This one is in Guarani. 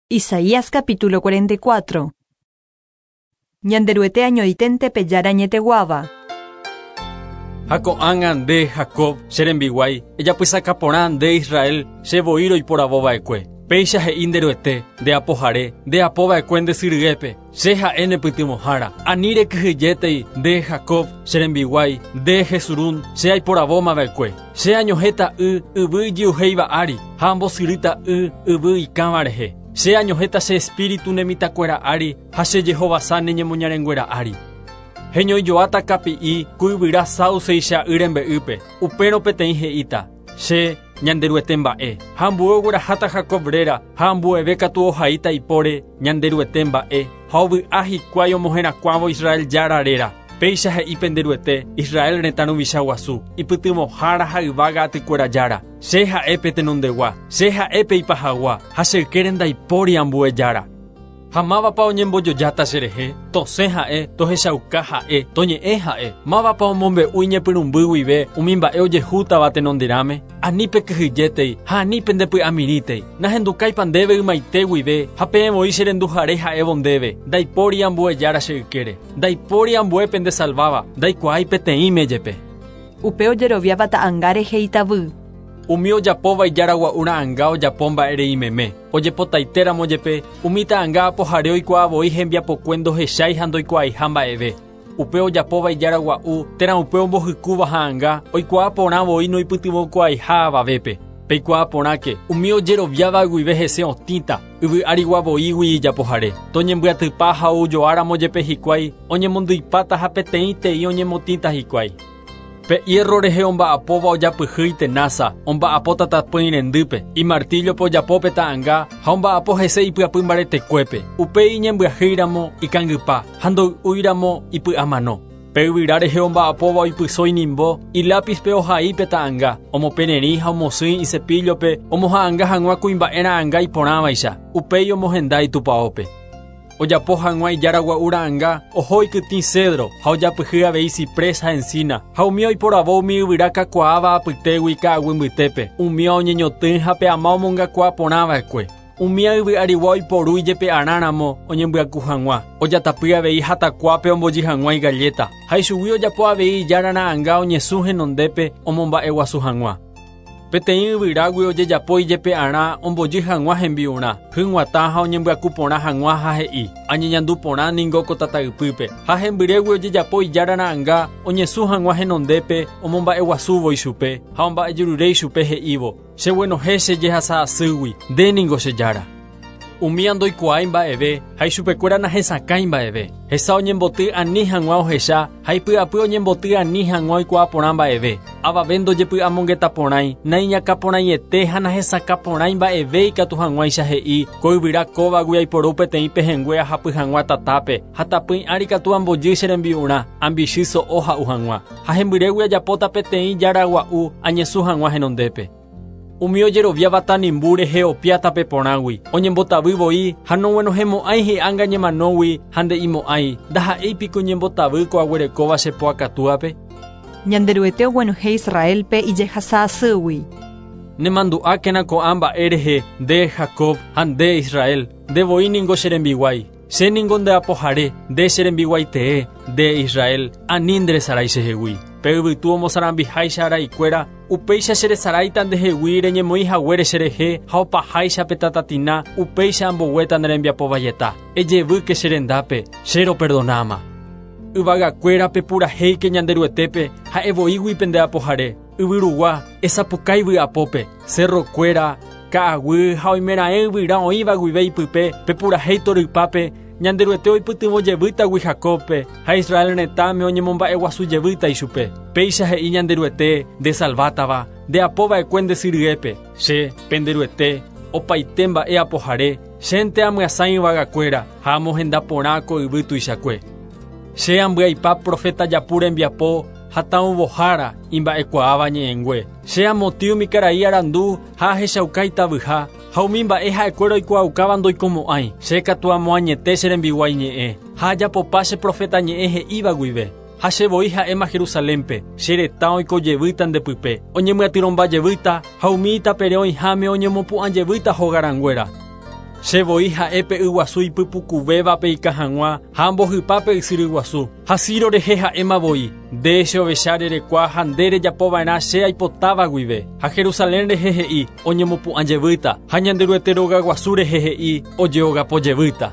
Isaías capítulo 44. Ñanderuete añoiténte pe Jára añeteguáva. Ha ko'ág̃a nde, Jacob, che rembiguái, ejapysaka porã nde, Israel, che voi roiporavo va'ekue. Péicha he'i nde Ruete, nde apohare, nde apo va'ekue nde sy ryépe, Che ha'e ne pytyvõhára. Ani rekyhyjétei, nde, Jacob, che rembiguái, nde, Jesurún, che aiporavóma va'ekue. Che añohẽta y yvy ijy'uhéiva ári, ha ambosyrýta y yvy ikãva rehe. Che añohẽta che espíritu ne mitãkuéra ári ha che jehovasa ne ñemoñarenguéra ári. Heñoijoáta kapi'i ku yvyra sáuseicha y rembe'ýpe, upérõ peteĩ he'íta, Che, Ñanderuete mba'e. Ha ambue ogueraháta Jacob réra, ha ambueve katu ohaíta ipóre Ñanderuete mba'e, ha ovy'a hikuái omoherakuãvo Israel Jára réra. Péicha he'i pende Ruete, Israel retã ruvicha guasu, ipytyvõhára ha yvága atykuéra Jára, Che ha'e pe tenondegua, Che ha'e pe ipahagua, ha che ykére ndaipóri ambue Jára. Ha mávapa oñembojojáta cherehe? Tosẽ ha'e, tohechauka ha'e, toñe'ẽ ha'e. Mávapa omombe'u iñepyrũmby guive umi mba'e ojehútava tenonderãme? Ani pekyhyjétei ha ani pendepy'amirĩtei. Nahendukáipa ndéve ymaite guive ha peẽ voi che renduhare ha'évo ndéve, Ndaipóri ambue Jára che ykére. Ndaipóri ambue pendesalváva, ndaikuaái peteĩme jepe. Upe ojeroviáva ta'anga rehe itavy. Umi ojapóva ijára gua'u ra'anga ojapo mba'e rei meme. Ojepotaitéramo jepe, umi ta'anga apohare oikuaa voi hembiapokue ndohechái ha ndoikuaaiha mba'eve. Upe ojapóva ijára gua'u térã upe ombohykúva ha'anga oikuaa porã voi noipytyvõkuaaiha avavépe. Peikuaa porãke, umi ojeroviáva guive hese otĩta, yvy árigua voígui ijapohare. Toñembyatypa ha oujoáramo jepe hikuái, oñemondyipáta ha peteĩteĩ oñemotĩta hikuái. Pe hierro rehe omba'apóva ojapyhy itenása, omba'apo tatapỹi rendýpe, imartíllope ojapo pe ta'anga ha omba'apo hese ipyapy mbaretekuépe. Upéi iñembyahýi ramo ikangypa ha ndoy'úi ramo ipy'amano. Pe yvyra rehe omba'apóva oipyso inimbo, ilápizpe ohai pe ta'anga, omopererĩ ha omosỹi icepíllope omoha'anga hag̃ua kuimba'e ra'anga iporãvaicha, upéi omohenda itupaópe. Ojapo hag̃ua ijára gua'u ra'anga, oho ikytĩ cedro, ha ojapyhy avei ciprés ha encina, ha umi oiporavo umi yvyra kakuaáva apytégui ka'aguy mbytépe, umíva oñeñotỹ ha pe ama omongakuaa porã va'ekue. Umíva yvy arigua oiporu ijepe'arãramo oñembyaku hag̃ua, ojatapy avei hatakuápe ombojy hag̃ua igalléta, ha ichugui ojapo avei ijára ra'anga oñesũ henondépe omomba'eguasu hag̃ua. Peteĩ yvyrágui ojejapo ijepe'arã ombojy hag̃ua hembi'urã, hyg̃uatã ha oñembyaku porã hag̃ua ha he'i, Añeñandu porã ningo ko tataypýpe, ha hembyrégui ojejapo ijára ra'anga oñesũ hag̃ua henondépe omomba'eguasúvo ichupe ha omba'ejerure ichupe he'ívo, Cheguenohẽ che jehasa asýgui, nde ningo che Jára. Umía ndoikuaái mba'eve ha ichupekuéra nahesakãi mba'eve. Hesa oñemboty ani hag̃ua ohecha ha ipy'apy oñemboty ani hag̃ua oikuaa porã mba'eve. Avave ndojepy'amongeta porãi, naiñakãporãiete ha nahesakã porãi mba'eve ikatu hag̃uáicha he'i, Ko yvyra kóvagui aiporu peteĩ pehẽngue ahapy hag̃ua tatápe, ha tapỹi ári katu ambojy che rembi'urã, ambichy so'o ha'u hag̃ua. Ha hembyrégui ajapóta peteĩ jára gua'u añesũ hag̃ua henondépe. Umi ojeroviáva tanimbu rehe opia tape porãgui, oñembotavy voi ha noguenohẽmo'ãi hi'ánga ñemanógui ha nde'imo'ãi, Ndaha'éi piko ñembotavy ko aguerekóva che po akatúape? Ñanderuete oguenohẽ Israélpe ijehasa asýgui. Nemandu'ákena ko'ã mba'e rehe, nde, Jacob, ha nde, Israel, nde voi ningo che rembiguái. Che ningo nde apohare, nde che rembiguái tee, nde, Israel, ani nderesarái chehegui. Pe yvytu omosarambiháicha araikuéra, upéicha cheresaráita ndehegui reñemoĩ haguére cherehe ha opaháicha pe tatatina, upéicha amboguéta ne rembiapo vaieta. Ejevýke che rendápe, che roperdonáma. Yvagakuéra pepurahéike Ñanderuetépe, ha'e voígui pende apohare. Yvy rugua, esapukái vy'apópe, cerro-kuéra, ka'aguy ha oimeraẽ yvyra oĩva guive ipype, pepurahéi torypápe, Ñanderuete oipytyvõ jevýtagui Jacóbpe ha Israel retãme oñemomba'eguasu jevýta ichupe. Péicha he'i Ñanderuete, ndesalvátava, nde apo va'ekue nde sy ryépe. Che, pende Ruete, opaite mba'e apohare, chénte amyasãi yvagakuéra ha amohenda porã ko yvy tuichakue. Che ambyaipa proféta japu rembiapo ha taũvohára imba'ekuaáva ñe'ẽngue. Che amotĩ umi karai arandu ha ahechauka itavyha, ha umi mba'e ha'ekuéra oikuaaukáva ndoikomo'ãi. Che katu amoañete che rembiguái ñe'ẽ, ha ajapopa che proféta ñe'ẽ he'íva guive. Ha che voi ha'éma Jerusalénpe, che retã oiko jevýta nde pype, oñemyatyrõmba jevýta, ha umi itapere oĩháme oñemopu'ã jevýta hogarãnguéra. Che voi ha'e pe yguasu ipypukuvévape ikã hag̃ua ha ambohypa pe ysyry guasu. Ha Ciro rehe ha'éma voi, Nde che ovecha rerekua ha nde rejapova'erã che aipotáva guive. Ha Jerusalén rehe he'i, Oñemopu'ã jevýta. Ha Ñanderuete róga guasu rehe he'i, Ojeogapo jevýta.